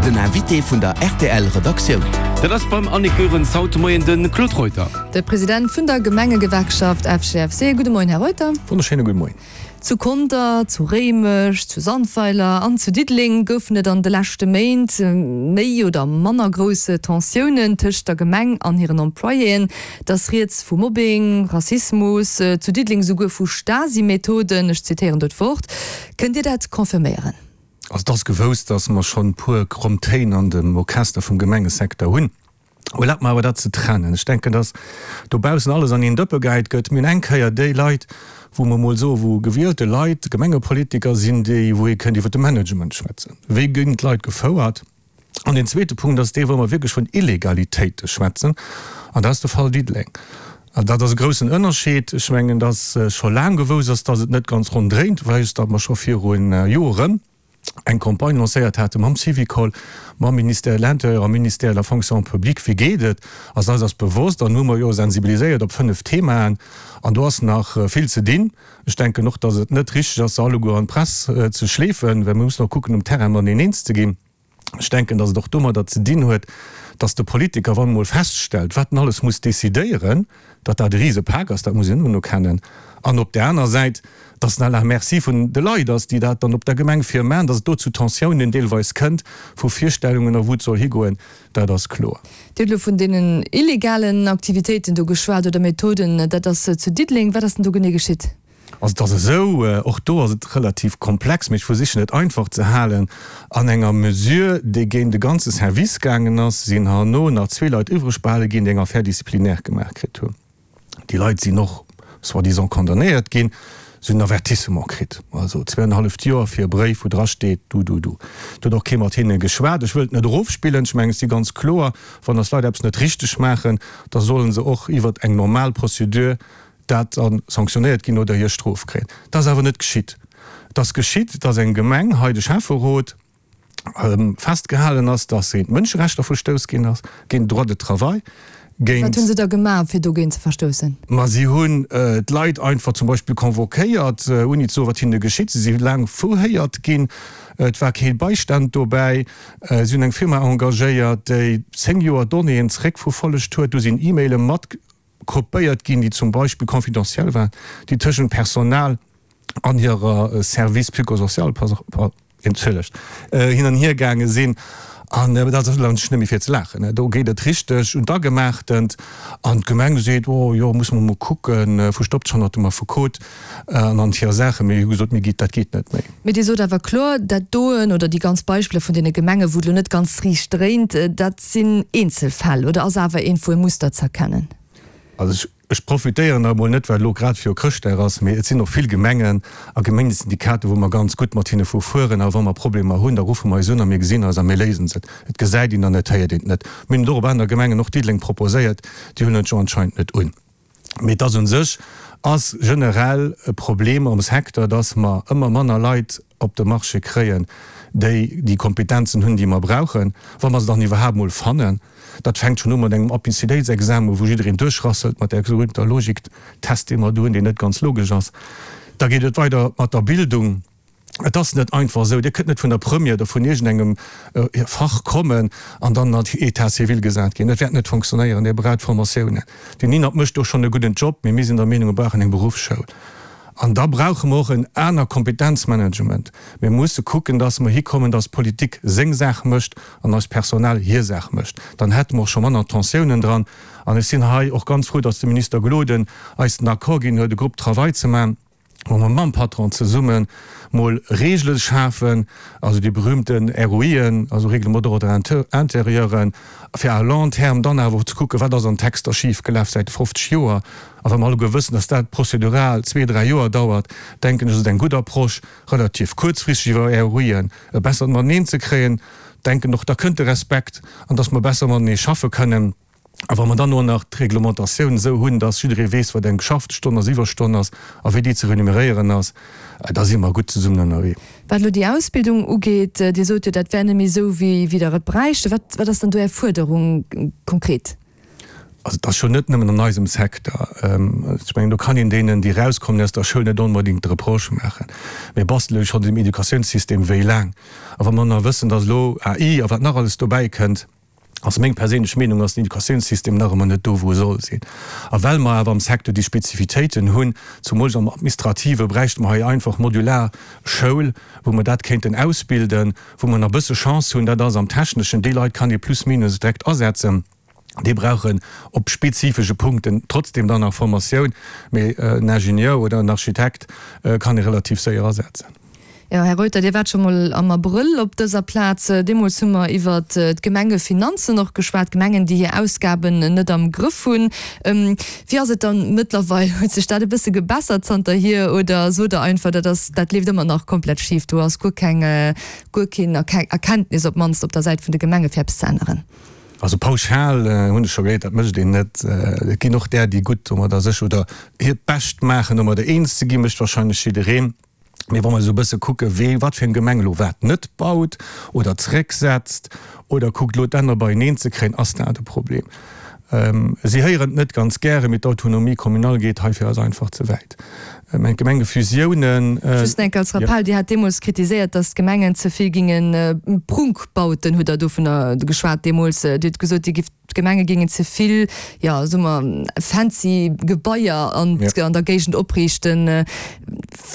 Den Invité vun der rtl Redaktioun. Dat ass beim Annick Goerens haut de Moien de Claude Reuter. De President vun der Gemengegewerkschaft FGFC. Gudde Moien, Här Reuter. Wonnerschéine gudde Moien. Zu Conter, zu Réimech, zu Sandweiler an zu Diddeleng goufen et an de leschte Méint méi oder manner grouss Tensiounen tëscht der Gemeng an hiren Employéen. Et ass rieds vu Mobbing, Rassismus, zu Diddeleng souguer vu Stasi-Methoden, ech zitéieren do d'Wort. Kënnt Dir dat confirméieren? Also et ass gewousst, datt mer schonn e puer kromm Téin an dem Orchester vum Gemengesecteur hunn. Erlaabt mer awer dat ze trennen. Ech denken, datt dobaussen alles an een Dëppe gehäit gëtt. Mir hunn eng Kéier déi Leit, wou mer emol soen, wou gewielte Leit, Gemengepolitiker sinn, déi, wou ee kënnt iwwer de Management schwätzen. Wéi ginn d'Leit gefouert? An deen zweete Punkt ass dee, wou mer wierklech vun Illegalitéite schwätzen, an dat ass de Fall Diddeleng. An dat ass e groussen Ënnerscheed. Ech mengen, datt scho laang gewousst ass, datt et net ganz ronn dréint, well datt mer scho viru Joren, eng Campagne lancéiert hate mam Syvicol, mam Ministère de l'Intérieur a Ministère de la Fonction publique, Wéi geet et? Also eis ass bewosst, an hu mer jo sensibiliséiert op 5 Themaen, an do ass nach vill ze dinn. Ech denken och, datt et net richteg ass, se alleguer an d'Press ze schleefen, well mir mussen och kucken, um Terrain mateneen eens ze ginn. Ech denken, datt et och domadder ze dinn huet, datt de Politiker, wann en emol feststellt, wat en alles muss decidéieren, datt dat e Risepak ass, dat muss een unerkennen, an op där aner Säit, datt en à la merci vun de Leit ass, déi dat dann op der Gemeng vir maachen, datt et do zu Tensiounen deelweis kënnt, vu Virstellungen a wou et soll higoen, dat ass kloer. Dir hutt elo vun deenen illegalen Aktivitéiten do geschwat oder Methoden, dat ass zu Diddeleng. Wat ass denn do genee geschitt? Also et ass esou, och do ass et relativ komplex, mee ech versichen et einfach ze halen, An enger Mesure, déi géint e ganze Service gaangen ass, sinn herno nach zwee Leit iwwreg behale ginn, déi eng Affaire disciplinaire gemaach kritt hunn. Déi Leit sinn och soi-disant condamnéiert ginn, se hunn en Avertissement kritt, also zweeanenhalleft Joer fir e Bréif, wou drasteet, du, du, du. Et huet och kee mat hinne geschwat. Ech wëll et net erofspillen, ech mengen, et si ganz kloer, wann eis Leit eppes net richteg maachen, da solle se och iwwert eng normal Procédure dat da sanktionéiert ginn oder hir Strof kréien. Dat ass awer net geschitt. Et ass geschitt, dass eng Gemeng, hei de Schäfferot, festgehalen ass, dass géint d'Mënscherechter verstouss ginn ass, géint den Droit de travail, géint. Wat hu se da gemaach, fir dogéint ze verstoussen? Ma si hunn d'Leit einfach zum Beispill convoquéiert, ouni ze soen, wat hinne geschitt. Si si laang verhéiert ginn. Et war kee Beistand dobäi. Si hunn eng Firma engagéiert, déi 10 Joer Donnéeën zeréckverfollegt huet. Do sinn E-Maile mat. Kopéiert ginn, déi zum Beispill confidentiel waren, déi tëschent Personal an hirer Service psychosocial, entschëllegt, hin an hier gaange sinn. An dat ass elo net méi fir ze laachen. Do geet et richteg un d'Agemaachtend. An d'Gemeng seet, Oh jo, musse mer mol kucken, verstoppt sech hannert dem Affekot an an hir Saachen. Mee hu gesot, Mir geet, dat geet net méi. Mee Dir sot awer kloer, dat doen oder déi ganz Beispiller vun deene Gemengen, wou et elo net ganz riicht dréint, dat sinn Eenzelfäll oder ass awer iergendwou e Muster z'erkennen? Also ech profitéieren da emol net, well elo grad viru Chrëschtdag ass, mee et sinn och vill Gemengen a Gemengesyndikaten, wou mer ganz gutt mat hinne verfueren a wa mer Problemer hunn, da ruffe mer eis un a mir gesinn eis a mir léisen se. Et gesäit een an et héiert een et net. Mir hunn et och op aner Gemengen, och Diddeleng, proposéiert, déi huelen et jo anscheinend net un. Mee et ass un sech ass generell e Problem am Secteur, dass mer ëmmer manner Leit op de Marché kréien, déi déi Kompetenzen hunn, déi mer brauchen, wa mer se dann iwwerhaapt mol fannen. Dat fänkt schonn u mat engem Appicitéitsexamen, wou jiddereen duerchrasselt mat där berühmter Logiktest, dee mer do hunn, deen net ganz logesch ass. Da geet et weider mat der Bildung. Et ass net einfach esou, Dir kënnt net vun der Première oder vun iergendengem Fach kommen an dann an État civil gesat ginn. Dat wäert net fonctionnéieren. Dir braucht Formatiounen. Den INAP mécht do schonn e gudden Job, mee mir sinn der Meenung, mir brauchen eng Beruffsschoul. An da brauche mer och en aner Kompetenzmanagement. Mir musse kucken, dass mer hikommen, dass d'Politik seng Saach mécht an eist Personal hir Saach mécht. Dann hätte mer och scho manner Tensiounen dran. An ech sinn hei och ganz frou, dass de Minister Gloden eis den Accord ginn huet, e Groupe de travail ze maachen, wou mer mam Patron zesumme mol Regele schafen, also déi berühmten ROIen, also Règlements d'ordre intérieuren, fir à long terme dann awer och ze kucken, wat ass an Texter schifgelaf säit 50 Joer. A wa mer alleguer wëssen, dass dat prozedural zwee, dräi Joer dauert, denken ech, ass et eng gutt Approche, relativ kuerzfristeg iwwer ROIen e bessert Mateneen ze kréien. Denken och, da kënnt de Respekt an dass mer besser matenee schaffe kënnen. A wa mer dann och nach d'Reglementatioun esou hunn, dass jidderee weess, wat eng geschafte Stonn ass, Iwwerstonn ass a wéi déi ze renumeréieren ass, da si mer gutt zesummen ënnerwee. Wat elo déi Ausbildung ugeet, Dir sot jo, dat wär net méi esou, wéi Der et bräichte. Wat, wat ass dann do Är Fuerderung konkret? Also et ass scho net nëmmen an eisem Secteur. Ech mengen, do kann een deenen, déi erauskommen aus der Schoul, net onbedéngt de Reproche maachen. Mir bastele jo schonn un dem Educatiounssystem wéi laang. A wa mer nach wëssen, datt elo AI a wat nach alles dobäi kënnt, ass meng perséinlech Meenung, ass den Educatiounssystem nach ëmmer net do, wou e soll sinn. A well mer awer am Secteur déi Spezifitéiten hunn, zumools am Administrative, bräichte mer hei einfach modular Schoul, wou mer dat kéinten ausbilden, wou mer nach e bësse Chance hunn, dat ass am Techneschen, déi Leit kann ee plus minus direkt asetzen, déi brauchen op spezifesche Punkten trotzdem dann nach Formatioun, mee en Ingenieur oder en Architekt kann ee relativ séier asetzen. Jo, Här Reuter, Dir waart scho mol am Abrëll op dëser Plaz. Deemools hu mer iwwert d'Gemengefinanzen och geschwat, Gemengen, déi hir Ausgaben net am Grëff hunn. Wéi ass et dann mëttlerweil? Huet sech dat e bësse gebessert zanterhier oder sot Der einfach, dat ass, dat leeft ëmmer nach komplett schif, do ass guer keng, guer keen Erkenntnis op d'mannst op der Säit vun de Gemenge fir eppes ze änneren? Also pauschal hunn ech scho gehéiert, dat mécht een net. Et ginn och där, déi gutt domadder sech oder hiert Bescht maachen, domadder eens ze ginn, mécht wahrscheinlech jiddereen. Mee wa mer esou e bësse kucke wee wat fir eng Gemeng elo wat net baut oder zrécksetzt oder kuckt elo d'Enner beieneen ze kréien, ass dat e Problem. Si héieren et net ganz gären, mee d'Autonomie communale geet hei fir eis einfach ze wäit. Ech mengen d'Gemengefusiounen. Just enk als Rappell, Dir hat deemools kritiséiert, datt d'Gemengen ze vill ginge Prunkbauten, hutt Der dovunner geschwat deemools. Dir hutt gesot, Dir gifft D'Gemenge géingen ze vill, jo, soe mer, fancy Gebaier an der Géigend opriichten.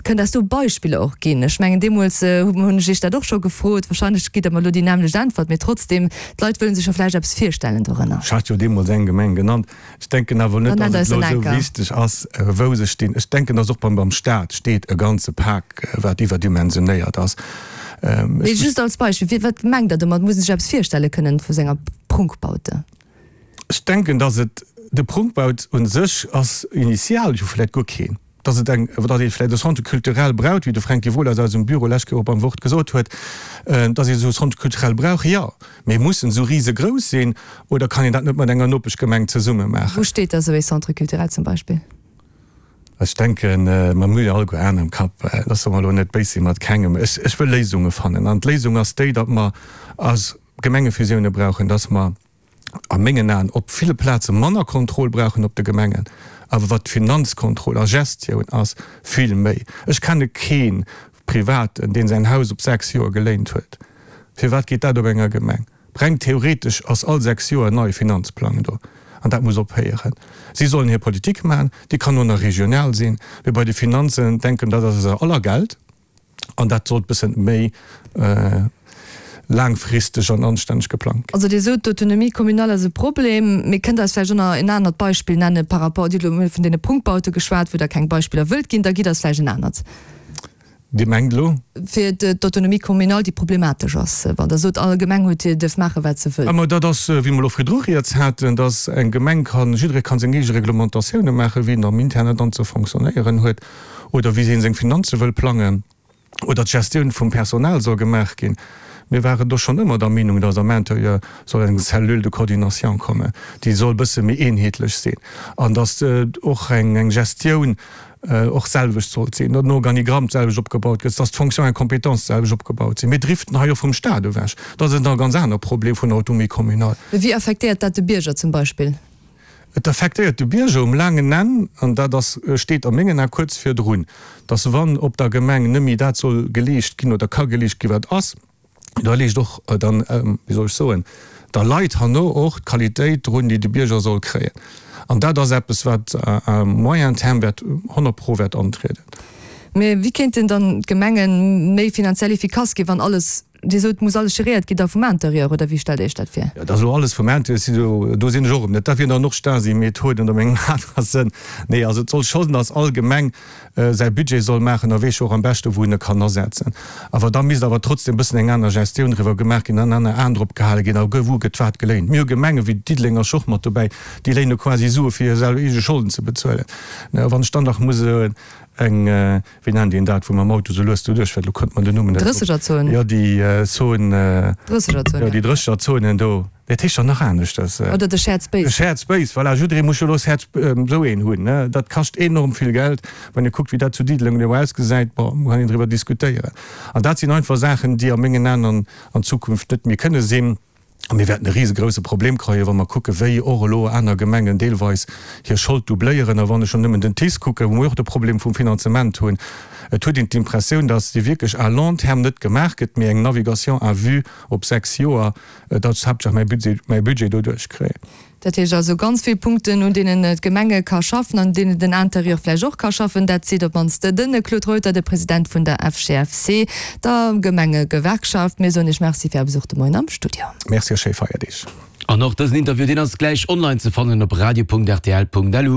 Kënnt eis do Beispiller och ginn? Ech mengen, deemools hunn ech Iech dat och scho gefrot. Wahrscheinlech gitt Der mer elo déi nämmlecht Äntwert, mee trotzdem, d'Leit wëlle sech jo vläicht eppes virstellen dorënner. Ech hat jo deemools eng Gemeng genannt. Ech denken awer net, datt et elo esou wichteg ass, wou se stinn. Ech denken, datt och beim Staat steet e ganze Pak, wat iwwerdimensionéiert ass. Mee just als Beispill, wat mengt Der domat? Muss een sech eppes virstelle kënnen vu senger Prunkbaute? Ech denken, datt et de Prunkbaut u sech ass initial jo vläicht guer keen. Datt et eng, datt ee vläicht e Centre culturel braucht, wéi de Fränki Wohlers aus eisem Büro lescht Kéier och beim Wort gesot huet, datt ee esou e Centre culturel brauch, jo. Mee muss en esou risegrouss sinn oder kann een dat net mat enger Nopeschgemeng zesumme maachen? Wou steet da sou ee Centre culturel zum Beispill? Ech denken, mer hu jo alleguer Aen am Kapp, loosse mer elo net béis si mat kengem. Ech, ech wëll Léisunge fannen. An d'Léisung ass déi, datt mer eis Gemengefusioune brauchen, datt mer a mengen Aen op ville Plaze manner Kontroll brauchen op de Gemengen, awer wat d'Finanzkontroll a Gestioun ass, vill méi. Ech kenne kee Privaten, deen säin Haus op 6 Joer geléint huet. Firwat geet dat op enger Gemeng? Reng theoretesch ass all 6 Joer en neie Finanzplang do, an dat muss ophéieren. Si sollen hir Politik maachen, déi kann och nach regional sinn, mee bei de Finanzen denken, dat ass eiser aller Geld, an dat sollt bëssen méi laangfristeg an anstänneg geplangt ginn. Also Dir sot, d'Autonomie communale ass e Problem, mee kënnt Der eis vläicht och nach en anert Beispill nenne par rapport, Dir hutt elo vun deene Prunkbaute geschwat, wou Der keng Beispiller wëllt ginn, da gitt eis vläicht en anert. Dir mengt elo? Fir d'Autonomie communale, déi problematesch ass, wann Der sot, all Gemeng huet hir, dierf maachen, wat se wëll. Ah, ma dat ass, wéi mer elo virdru rieds haten, dass eng Gemeng kann, jidderee kann seng eege Reglementatioune maachen, wéi en am Internen dann ze fonctionnéieren huet oder wéi hien seng Finanze wëll plangen oder d'Gestioun vum Personal soll gemaach ginn. Mir waren do schonn ëmmer der Meenung, dass am Intérieur soll eng Cellule de coordination kommen, déi soll e bësse méi eenheetlech sinn an dass och eng Gestioun och d'selwecht sollt sinn, datt den Organigramm d'selwecht opgebaut gëtt, datt d'Fonction et compétences d'selwecht opgebaut sinn. Mir driften hei och vum Stat ewech. Dat ass e ganz aner Problem vun der Autonomie communale. Wéi affektéiert dat de Bierger zum Beispill? Et affektéiert de Bierger um laangen Enn, an dat ass, steet a mengen Ae kuerz virdrun, datt wann op der Gemeng net méi dat soll geleescht ginn oder ka geleescht ginn, wat ass, da leescht och dann, wéi soll ech soen, da leit herno och d'Qualitéit drun, déi de Bierger soll kréien. An dat ass eppes, wat à moyen terme wäert 100 pro wäert antrieden. Mä wéi kéinten dann d'Gemenge méi finanziell efficace ginn, wann alles, Dir sot, et muss alles geréiert ginn da vum Intérieur, oder wéi stellt Dir Iech dat vir? Jo, dat ass elo alles vum Intérieur, si do, do sinn ech och erëm net. Dat wieren dann och Stasi-Methoden oder mengem anere Sënn. Nee, also et soll schonn, datt all Gemeng säi Budget soll maachen a weess jo och am beschte wou en e kann asetzen. Awer da misst awer trotzdem e bëssen eng aner Gestioun driwwer gemaach ginn, en aner Aen drop gehale ginn a wou gëtt wat geléint. Mir hu Gemenge wéi Diddeleng ass jo och mat dobäi, déi léine quasi Sue fir hir selwer eege Scholden ze bezuelen. Wann ech dann nach muss eng, wéi nennt een dat, wou mam Auto sou lues doduerch fäert, elo kënnt mer den Numm net drop. Drëssegerzon. Jo, déi Zon, Drëssegerzon, jo, déi Drëssegerzonen do. Dat heescht dann nach aneschters. Oder de Shared Space. De Shared Space, voilà. Jidderee muss jo elo Shared, esou een hunn, ne. Dat kascht enorm vill Geld. Wann ee kuckt, wéi dat zu Diddeleng elo ausgesäit, bon, kann een driwwer diskutéieren. An dat sinn einfach Saachen, déi a mengen Aen an an Zukunft net méi kënne sinn. A mir wäerten e risegrousse Problem kréien, wa mer kucken, wéi och elo aner Gemengen deelweis hir Schold doubléieren. A wann ech schonn nëmmen den TICE kucken, wou mer och de Problem vum Finanzement hunn, et huet een d'Impressioun, dass déi wierklech à long terme net gemaach gëtt, mee eng Navigation à vue op 6 Joer, datt ech haaptsächlech mäi Budget, mäi Budget doduerch kréien. Dat heescht also ganz vill Punkten, un deenen d'Gemenge ka schaffen an un deenen den Interieur vläicht och ka schaffen. Dat seet op d'mannst de Claude Reuter, de President vun der FGFC, der Gemengegewerkschaft. Mir soen Iech Merci fir Är Besuch de Moien am Studio. Merci a schéi Feierdeeg. An och dësen Interview, deen ass gläich online ze fannen op radio.rtl.lu.